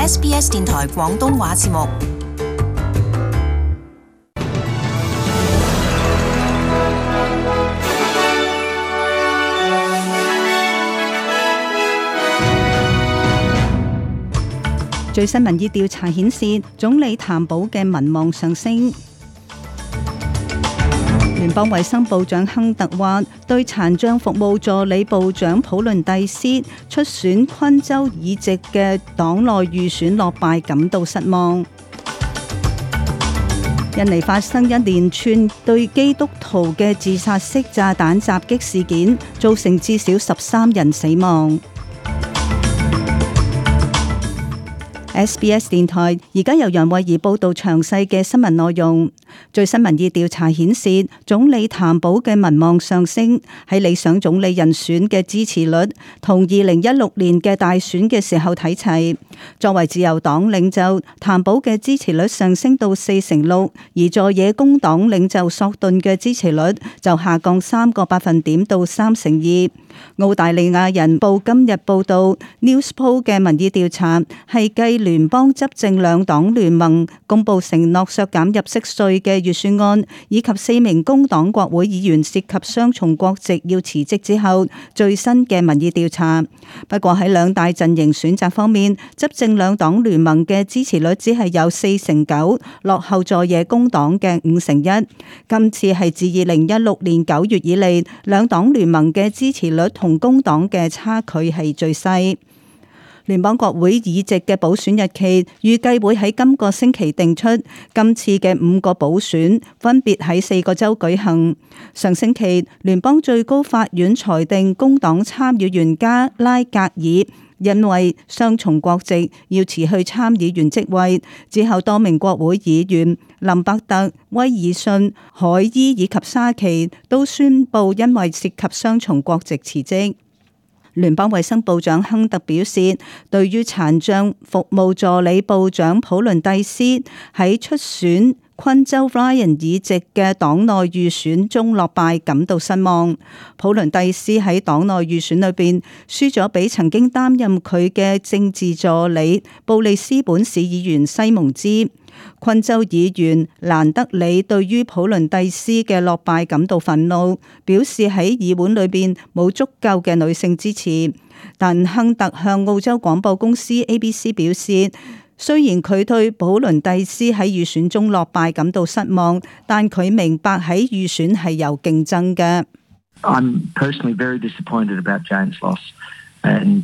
SBS 電台廣東話節目。最新民意調查顯示，總理譚寶嘅民望上升。聯邦衛生部長亨特話，對殘障服務助理部長普倫蒂斯出選昆州議席嘅黨內預選落敗感到失望。印尼發生一連串對基督徒嘅自殺式炸彈襲擊事件，造成至少13人死亡。SBS 電台而家由楊慧儀報道詳細嘅新聞內容。最新民意調查顯示，總理譚寶嘅民望上升，喺理想總理人選嘅支持率同2016年嘅大選嘅時候睇齊。作為自由黨領袖，譚寶嘅支持率上升到46%，而在野工黨領袖索頓嘅支持率就下降3個百分點到32%。澳大利亞人報今日報道 Newspoll 嘅民意調查係繼聯邦執政兩黨聯盟公布承諾削減入息稅嘅預算案，以及4名工黨國會議員涉及雙重國籍要辭職之後最新嘅民意調查。不過喺兩大陣營選擇方面，執政兩黨聯盟嘅支持率只係有49%，落後在野工黨嘅51%。今次係自2016年9月以嚟，兩黨聯盟嘅支持率同工黨嘅差距係最細。聯邦國會議席嘅補選日期預計會喺今個星期定出，今次嘅5個補選分別喺4個州舉行。上星期，聯邦最高法院裁定工黨參議員加拉格爾因為雙重國籍要辭去參議員職位，之後多名國會議員林伯特、威爾遜、海伊以及沙奇都宣布因為涉及雙重國籍辭職。聯邦衛生部長亨特表示，對於殘障服務助理部長普倫蒂斯喺出選昆州 Ryan 議席嘅黨內預選中落敗感到失望。普倫蒂斯喺黨內預選裏邊輸咗俾曾經擔任佢嘅政治助理布里斯本市議員西蒙茲。昆州議員蘭德里對於普倫蒂斯嘅落敗感到憤怒，表示喺議會裏邊冇足夠嘅女性支持。但亨特向澳洲廣播公司 ABC 表示，雖然佢對普倫蒂斯喺預選中落敗感到失望，但佢明白喺預選係有競爭嘅。I'm personally very disappointed about Jane's loss. 亨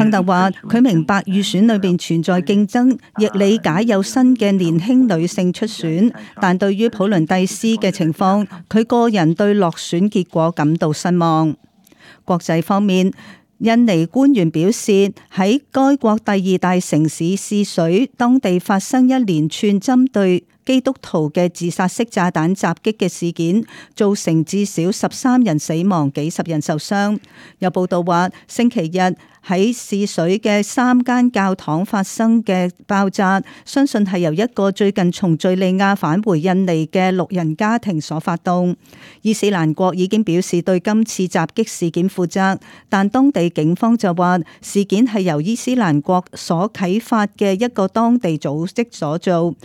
特話：佢明白預選裏邊存在競爭，亦理解有新嘅年輕女性出選，但對於普倫蒂斯嘅情況，佢個人對落選結果感到失望。國際方面，印尼官員表示，喺該國第2大城市泗水，當地發生一連串針對基督徒嘅自殺式炸彈襲擊嘅事件，造成至少13人死亡，幾十人受傷。有報道話，星期日喺泗水嘅3間教堂發生嘅爆炸，相信係由一個最近從敘利亞返回印尼嘅6人家庭所發動。伊斯蘭國已經表示對今次襲擊事件負責，但當地警方就話事件係由伊斯蘭國所啟發嘅一個當地組織所做。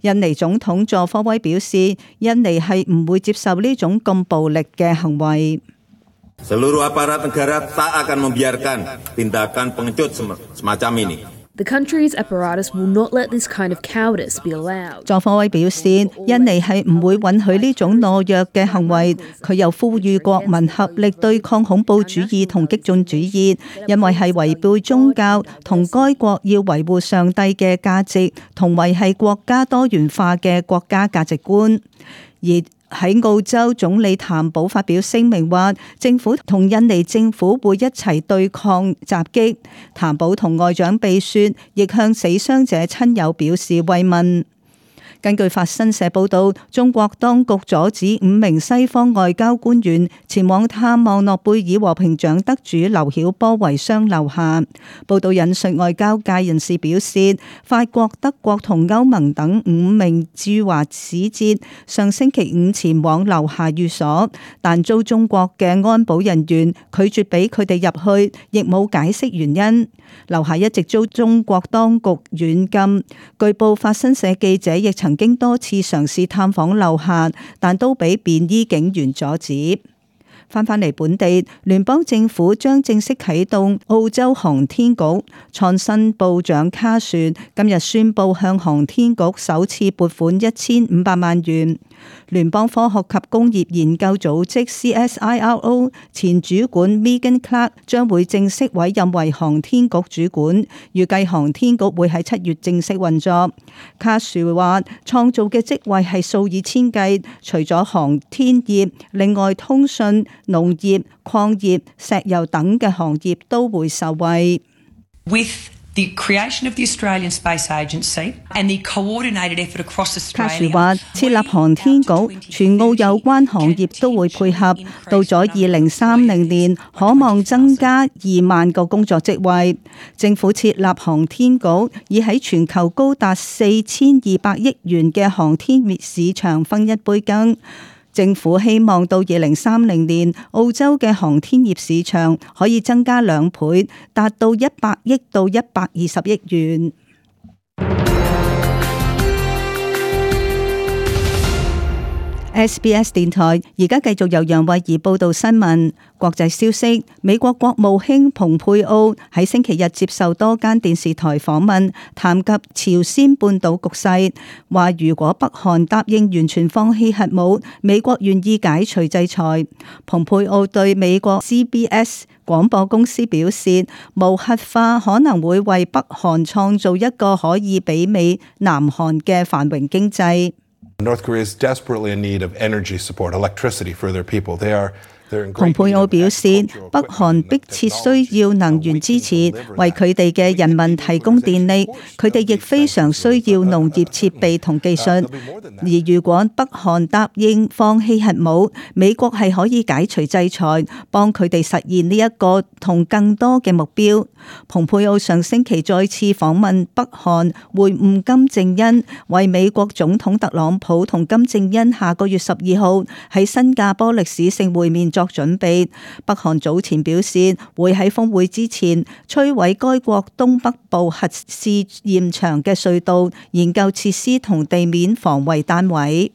印尼總統佐科威表示，印尼係唔會接受呢種咁暴力嘅行為。Seluruh aparat negara tak akan membiarkan tindakan pengecut semacam ini. The country's apparatus will not let this kind of cowardice be allowed. 佐科威表示，印尼係唔會允許呢種懦弱嘅行為。佢又呼籲國民合力對抗恐怖主義同激進主義，因為係違背宗教同該國要維護上帝嘅價值，同維繫國家多元化嘅國家價值觀。而喺澳洲，總理譚寶發表聲明話，政府同印尼政府會一齊對抗襲擊。譚寶同外長秘書亦向死傷者親友表示慰問。根據法新社報道，中國當局阻止5名西方外交官員前往探望諾貝爾和平獎得主劉曉波遺孀劉霞。報道引述外交界人士表示，法國、德國同歐盟等5名駐華使節上星期5前往劉霞寓所，但遭中國嘅安保人員拒絕俾佢哋入去，亦冇解釋原因。劉霞一直遭中國當局軟禁。據報法新社記者亦曾經多次嘗試探訪劉霞，但都俾便衣警員阻止。翻返嚟本地，聯邦政府將正式啟動澳洲航天局。創新部長卡殊今日宣布向航天局首次撥款1500萬元。聯邦科學及工業研究組織 CSIRO 前主管 Megan Clark 將會正式委任為航天局主管，預計航天局會喺7月正式運作。卡殊話創造嘅職位係數以千計，除咗航天業，另外通訊、農業、礦業、石油等嘅行業都會受惠。With the creation of the Australian Space Agency and the coordinated effort across Australia， 卡殊話設立航天局，全澳有關行業都會配合。到咗2030年，可望增加2萬個工作職位。政府設立航天局，以喺全球高達4200億元嘅航天市場分一杯羹。政府希望到2030年，澳洲嘅航天業市場可以增加2倍，達到100億到120億元。SBS 電台而家繼續由楊慧儀報道新聞。國際消息，美國國務卿蓬佩奧喺星期日接受多間電視台訪問，談及朝鮮半島局勢，話如果北韓答應完全放棄核武，美國願意解除制裁。蓬佩奧對美國 CBS 廣播公司表示，無核化可能會為北韓創造一個可以媲美南韓嘅繁榮經濟。North Korea is desperately in need of energy support, electricity for their people. They're 蓬佩奧表示，北韓迫切需要能源支持，為佢哋嘅人民提供電力。佢哋亦非常需要農業設備同技術。而如果北韓答應放棄核武，美國係可以解除制裁，幫佢哋實現呢一個同更多嘅目標。蓬佩奧上星期再次訪問北韓，會晤金正恩，為美國總統特朗普同金正恩下個月12號喺新加坡歷史性會面作準備。北韓早前表示會喺峰會之前摧毀該國東北部核試驗場嘅隧道、研究設施同地面防衛單位。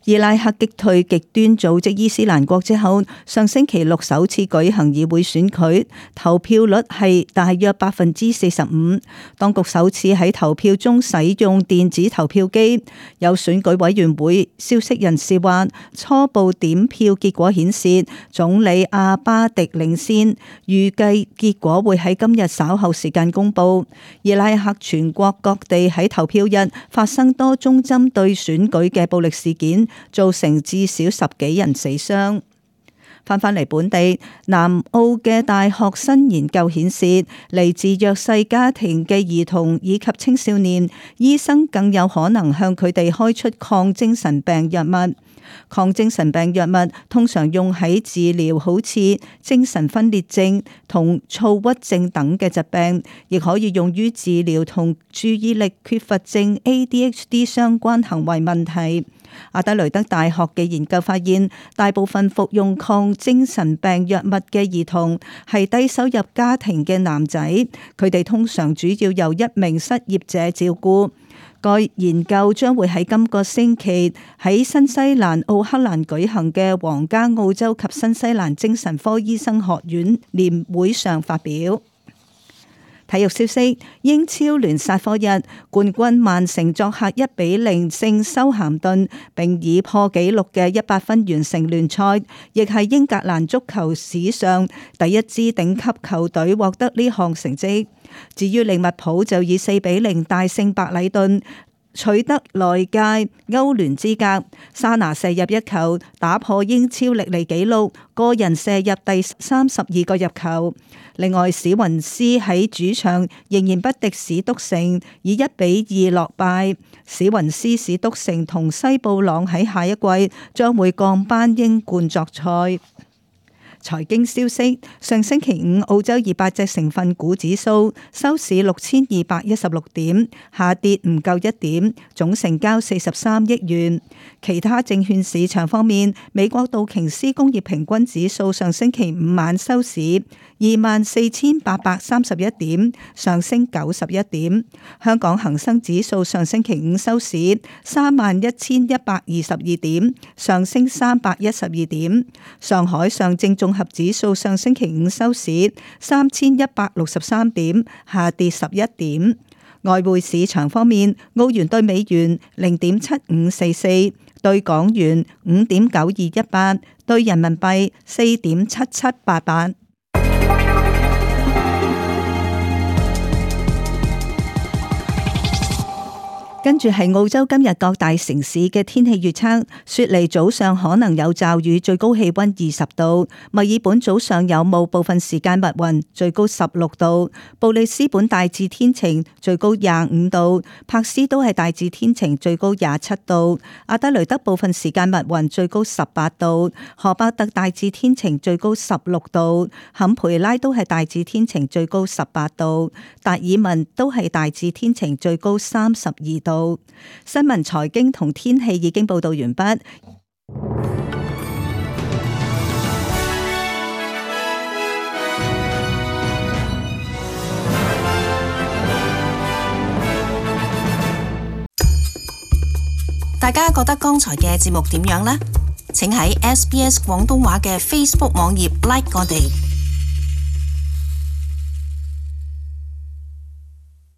伊拉克擊退極端組織伊斯蘭國之後，上星期六首次舉行議會選舉，投票率係大約45%。當局首次喺投票中使用電子投票機。有選舉委員會消息人士話，初步點票結果顯示總理阿巴迪領先，預計結果會喺今日稍後時間公佈。伊拉克全國各地喺投票日發生多宗針對選舉嘅暴力事件，造成至少10幾人死傷。翻返嚟本地，南澳嘅大學新研究顯示，嚟自弱勢家庭嘅兒童以及青少年，醫生更有可能向佢哋開出抗精神病藥物。抗精神病藥物通常用喺治療好似精神分裂症同躁鬱症等嘅疾病，亦可以用於治療同注意力缺乏症 ADHD 相關行為問題。阿德雷德大學嘅研究發現，大部分服用抗精神病藥物嘅兒童係低收入家庭嘅男仔，佢哋通常主要由一名失業者照顧。該研究將會喺今個星期喺新西蘭奧克蘭舉行嘅皇家澳洲及新西蘭精神科醫生學院年會上發表。體育消息，英超聯賽課日，冠軍曼城作客1-0勝修咸頓，並以破紀錄嘅100分完成聯賽，亦係英格蘭足球史上第一支頂級球隊獲得呢項成績。至於利物浦就以4-0大勝白禮頓，取得內界歐聯資格。沙拿射入一球，打破英超歷嚟紀錄，個人射入第32個入球。另外，史雲斯喺主場仍然不敵史篤城，以1-2落敗。史雲斯、史篤城同西布朗喺下一季將會降班英冠作賽。財經消息：上星期五，澳洲200隻成分股指數收市6216點，下跌唔夠1點，總成交43億元。其他證券市場方面，美國道瓊斯工業平均指數上星期五晚收市24,831點，上升91點。香港恒生指數上星期五收市31,122點，上升312點。上海上證綜合指數上星期五收市3163點，下跌11點。外匯市場方面，澳元對美元0.7544，對港元5.9218，對人民幣4.7788。跟住係澳洲今日各大城市嘅天氣預測：雪梨早上可能有驟雨，最高氣溫20度；墨爾本早上有霧，部分時間密雲，最高16度；布里斯本大致天晴，最高25度；柏斯都係大致天晴，最高27度；阿德雷德部分時間密雲，最高18度；荷伯特大致天晴，最高16度；坎培拉都係大致天晴，最高18度；達爾文都係大致天晴，最高32度。新聞、財經同天氣已經報道完畢。大家覺得剛才嘅節目點樣呢？請喺SBS 廣東話嘅 Facebook 網頁 like 我哋。